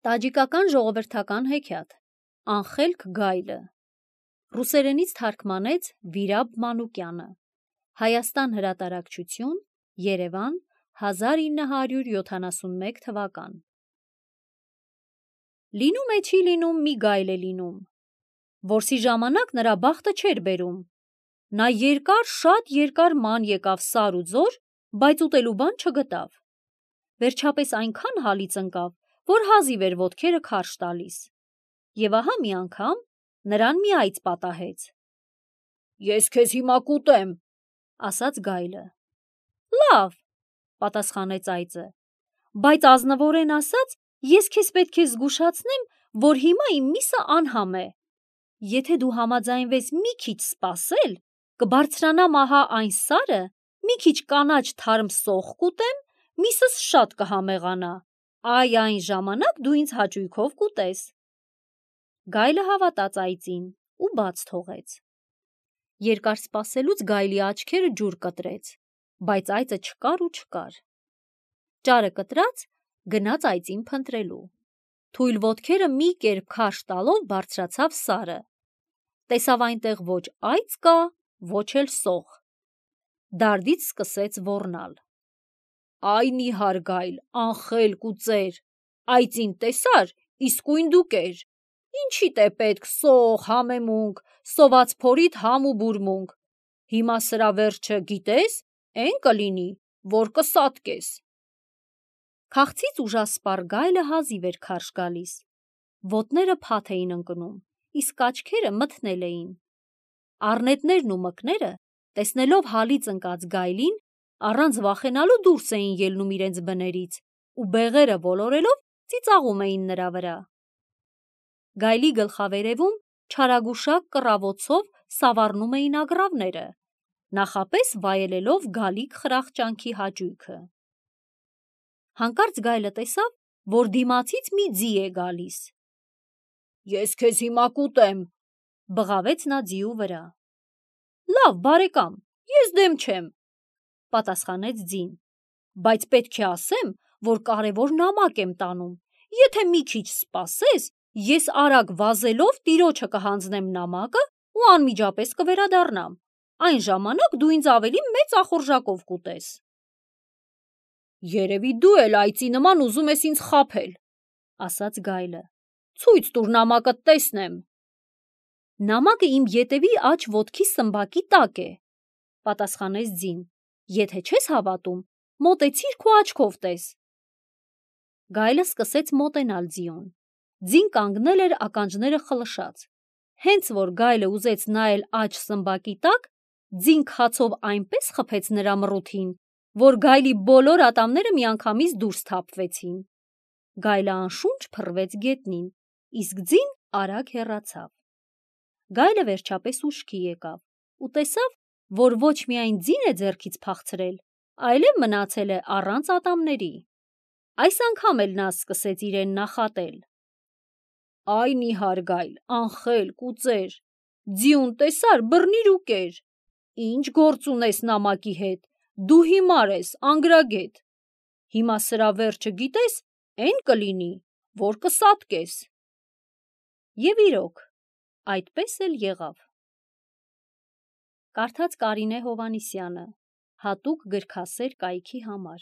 Տաջիկական ժողովրդական հեքիաթ Անխելք գայլը Ռուսերենից թարգմանեց Վիրաբ Մանուկյանը Հայաստան հրատարակչություն Երևան 1971 թվական Լինում է չի լինում մի գայլ է լինում, որսի ժամանակ նրա բախտը չէր բերում, նա շատ երկար ման եկավ սար ու ձոր, բայց ուտելու բան չգտավ, վերջապես այնքան հալից ընկավ, որ հազիվ էր ոտքերը քարշ տալիս, և ահա մի անգամ նրան մի այծ պատահեց: «Ես քեզ հիմա կուտեմ», ասաց գայլը: «Լավ», պատասխանեց այծը, «բայց ազնվորեն ասած, ես քեզ պետք է զգուշացնեմ, որ հիմա իմ միսը անհամ է: Եթե դու համաձայնվես մի քիչ սպասել, կբարձրանամ ահա այն սարը, մի քիչ կանաչ թարմ սոխ կուտեմ, միսս շատ կհամեղանա, այն ժամանակ դու ինձ հաճույքով կուտես»: Գայլը հավատաց այծին ու բաց թողեց: Երկար սպասելուց գայլի աչքերը ջուր կտրեց, բայց այծը չկար ու չկար: Ճարը կտրած գնաց այծին փնտրելու: Թույլ ոտքերը մի կերպ քարշ տալով բարձրացավ սարը: Տեսավ այնտեղ ոչ այծ կա, ոչ էլ սոխ: Դարդից սկսեց ոռնալ: «Այ նիհար գայլ, անխելք ու ծեր, այծին տեսա՞ր, իսկույն դու կեր: Ինչիդ է պետք սոխ, համեմունք, սոված փորիդ համ ու բուրմունք: Հիմա սրա վերջը գիտե՞ս, էն կլինի, որ կսատկես»: Քաղցից ուժասպառ գայլը հազիվ էր քարշ գալիս: Ոտները փաթ էին ընկնում, իսկ աչքերը մթնել էին: Առնետներն ու մկները, տեսնելով հալից ընկած գայլին, առանց վախենալու դուրս էին ելնում իրենց բներից ու բեղերը ոլորելով ծիծաղում էին նրա վրա: Գայլի գլխավերևում չարագուշակ կռավոցով սավառնում էին ագռավները, նախապես վայելելով գալիք խրախճանքի հաճույքը: Հանկարծ գայլը տեսավ, որ դիմացից մի ձի է գալիս: «Ես քեզ հիմա կուտեմ», բղավեց նա ձիու վրա: «Լավ բարեկամ, ես դեմ չեմ», պատասխանեց ձին, «բայց պետք է ասեմ, որ կարևոր նամակ եմ տանում, եթե մի քիչ սպասես, ես արագ վազելով տիրոջը կհանձնեմ նամակը ու անմիջապես կվերադառնամ, այն ժամանակ դու ինձ ավելի մեծ ախորժակով կուտես»: «Երևի դու էլ այծի նման ուզում ես ինձ խաբել», ասաց գայլը, «ցույց տուր նամակդ տեսնեմ»: «Նամակը իմ ետևի աջ ոտքի սմբակի տակ է», պատասխանեց ձին, «եթե չես հավատում, մոտեցիր քո աչքով տես»: Գայլը սկսեց մոտենալ ձիուն: Ձին կանգնել էր ականջները խլշած: Հենց որ գայլը ուզեց նայել աջ սմբակի տակ, ձին քացով այնպես խփեց նրա մռութին, որ գայլի բոլոր ատամները միանգամից դուրս թափվեցին: Գայլը անշունչ փռվեց գետնին, իսկ ձին արագ հեռացավ: Գայլը վերջապես ուշքի եկավ ու տեսավ, որ ոչ միայն ձին է ձեռքից փախցրել, այլև մնացել է առանց ատամների: Այս անգամ էլ նա սկսեց իրեն նախատել: «Այ նիհար գայլ, անխելք ու ծեր, ձիուն տեսա՞ր, բռնիր ու կեր: Ինչ գործ ունես նամակի հետ, դու հիմար ես, անգրագետ: Հիմա սրա վերջը գիտես, էն կլինի, որ կսատկես»: Եվ իրոք, այդպես էլ եղավ: Կարդաց Կարինե Հովհաննիսյանը, հատուկ գրքասեր կայքի համար: